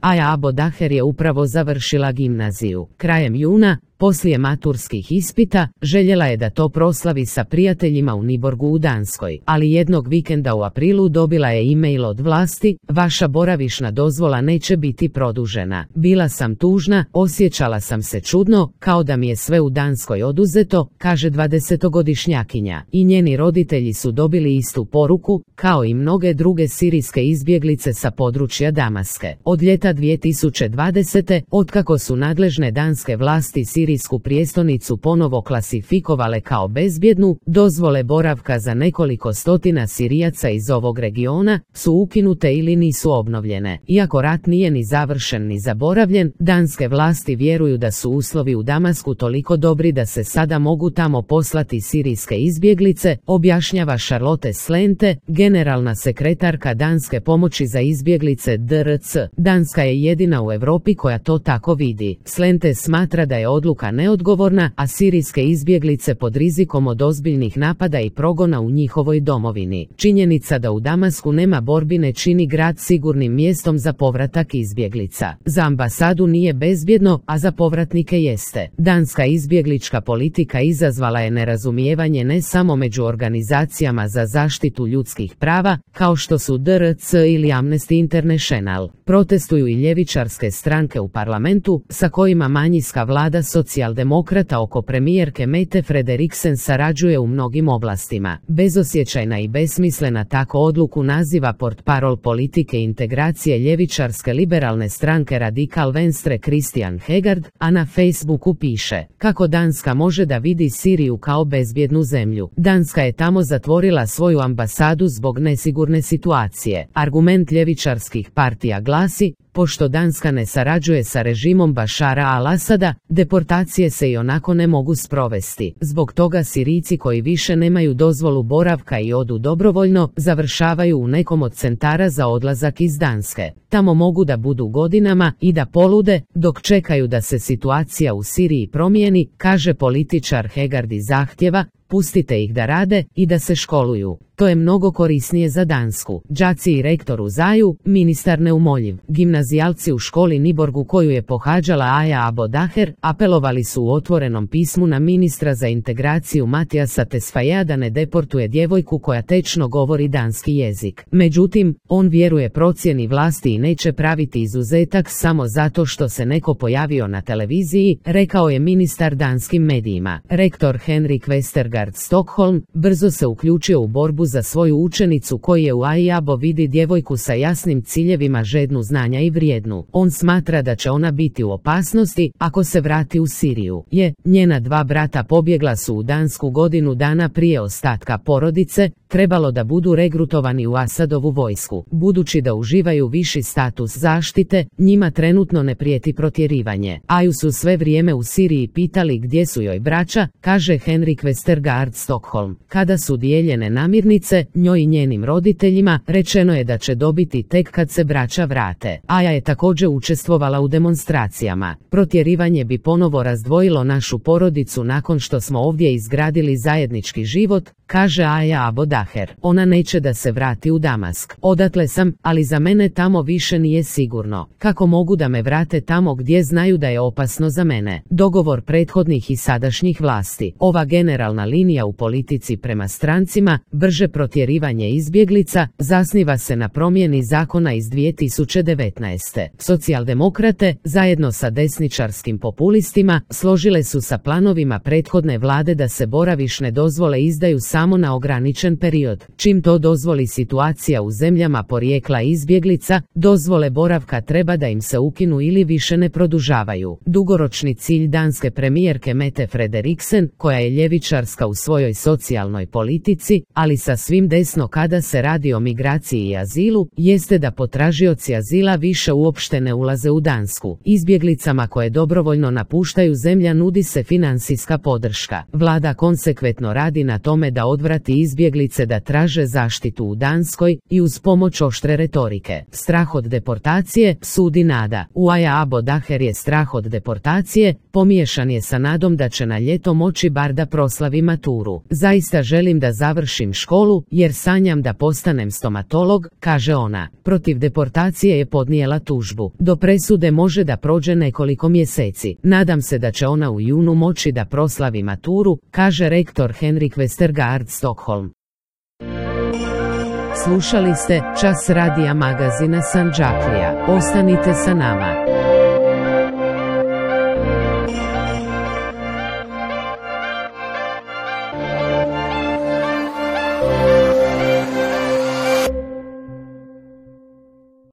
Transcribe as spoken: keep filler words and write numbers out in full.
Aja Abodaher je upravo završila gimnaziju. Krajem juna, poslije maturskih ispita, željela je da to proslavi sa prijateljima u Niborgu u Danskoj, ali jednog vikenda u aprilu dobila je e-mail od vlasti: vaša boravišna dozvola neće biti produžena. Bila sam tužna, osjećala sam se čudno, kao da mi je sve u Danskoj oduzeto, kaže dvadesetogodišnjakinja. I njeni roditelji su dobili istu poruku, kao i mnoge druge sirijske izbjeglice sa područja Damaske. Od ljeta dvije tisuće dvadesete, otkako su nadležne danske vlasti sirijsku prijestolnicu ponovo klasifikovale kao bezbjednu, dozvole boravka za nekoliko stotina Sirijaca iz ovog regiona su ukinute ili nisu obnovljene. Iako rat nije ni završen ni zaboravljen, danske vlasti vjeruju da su uslovi u Damasku toliko dobri da se sada mogu tamo poslati sirijske izbjeglice, objašnjava Charlotte Slente, generalna sekretarka danske pomoći za izbjeglice D R C. Danska je jedina u Europi koja to tako vidi. Slente smatra da je odluka neodgovorna, a sirijske izbjeglice pod rizikom od ozbiljnih napada i progona u njihovoj domovini. Činjenica da u Damasku nema borbi ne čini grad sigurnim mjestom za povratak izbjeglica. Za ambasadu nije bezbjedno, a za povratnike jeste. Danska izbjeglička politika izazvala je nerazumijevanje ne samo među organizacijama za zaštitu ljudskih prava, kao što su D R C ili Amnesty International. Protestuju i ljevičarske stranke u parlamentu, sa kojima manjinska vlada socijaldemokrata oko premijerke Mette Frederiksen sarađuje u mnogim oblastima. Bezosjećajna i besmislena tako odluku naziva portparol politike integracije ljevičarske liberalne stranke Radikal Venstre Christian Hegard, a na Facebooku piše: kako Danska može da vidi Siriju kao bezbjednu zemlju. Danska je tamo zatvorila svoju ambasadu zbog nesigurne situacije. Argument ljevičarskih partija glasi: pošto Danska ne sarađuje sa režimom Bašara al-Asada, deportacije se i onako ne mogu sprovesti. Zbog toga Sirijci koji više nemaju dozvolu boravka i odu dobrovoljno, završavaju u nekom od centara za odlazak iz Danske. Tamo mogu da budu godinama i da polude, dok čekaju da se situacija u Siriji promijeni, kaže političar Hegard i zahtjeva: pustite ih da rade i da se školuju. To je mnogo korisnije za Dansku. Đaci i rektor u Zaju, ministar neumoljiv. Gimnazijalci u školi Niborgu koju je pohađala Aja Abodaher, apelovali su u otvorenom pismu na ministra za integraciju Matijasa Tesfajea da ne deportuje djevojku koja tečno govori danski jezik. Međutim, on vjeruje procjeni vlasti i neće praviti izuzetak samo zato što se neko pojavio na televiziji, rekao je ministar danskim medijima. Rektor Henrik Westergaard Stockholm brzo se uključio u borbu za svoju učenicu koji je u Ajabo vidi djevojku sa jasnim ciljevima, žednu znanja i vrijednu. On smatra da će ona biti u opasnosti ako se vrati u Siriju. Je, njena dva brata pobjegla su u Dansku godinu dana prije ostatka porodice, trebalo da budu regrutovani u Asadovu vojsku. Budući da uživaju viši status zaštite, njima trenutno ne prijeti protjerivanje. Aju su sve vrijeme u Siriji pitali gdje su joj braća, kaže Henrik Westergaard Stockholm. Kada su dijeljene namirnice, njoj i njenim roditeljima, rečeno je da će dobiti tek kad se braća vrate. Aja je također učestvovala u demonstracijama. Protjerivanje bi ponovo razdvojilo našu porodicu nakon što smo ovdje izgradili zajednički život, kaže Aja Abodaher. Ona neće da se vrati u Damask. Odatle sam, ali za mene tamo više nije sigurno. Kako mogu da me vrate tamo gdje znaju da je opasno za mene? Dogovor prethodnih i sadašnjih vlasti. Ova generalna linija u politici prema strancima, brže protjerivanje izbjeglica, zasniva se na promjeni zakona iz dvije tisuće devetnaeste. Socijaldemokrate, zajedno sa desničarskim populistima, složile su sa planovima prethodne vlade da se boravišne dozvole izdaju samo na ograničen period. Čim to dozvoli situacija u zemljama porijekla izbjeglica, dozvole boravka treba da im se ukinu ili više ne produžavaju. Dugoročni cilj danske premijerke Mette Frederiksen, koja je ljevičarska u svojoj socijalnoj politici, ali sa svim desno kada se radi o migraciji i azilu, jeste da potražioci azila više uopšte ne ulaze u Dansku. Izbjeglicama koje dobrovoljno napuštaju zemlja nudi se financijska podrška. Vlada konsekventno radi na tome da odvrati izbjeglice se da traže zaštitu u Danskoj i uz pomoć oštre retorike. Strah od deportacije, sudi Nada. Uaja Abo Daher je strah od deportacije, pomiješan je sa nadom da će na ljeto moći bar da proslavi maturu. Zaista želim da završim školu, jer sanjam da postanem stomatolog, kaže ona. Protiv deportacije je podnijela tužbu. Do presude može da prođe nekoliko mjeseci. Nadam se da će ona u junu moći da proslavi maturu, kaže rektor Henrik Westergaard Stockholm. Slušali ste Čas radija magazina Sandžaklija. Ostanite sa nama.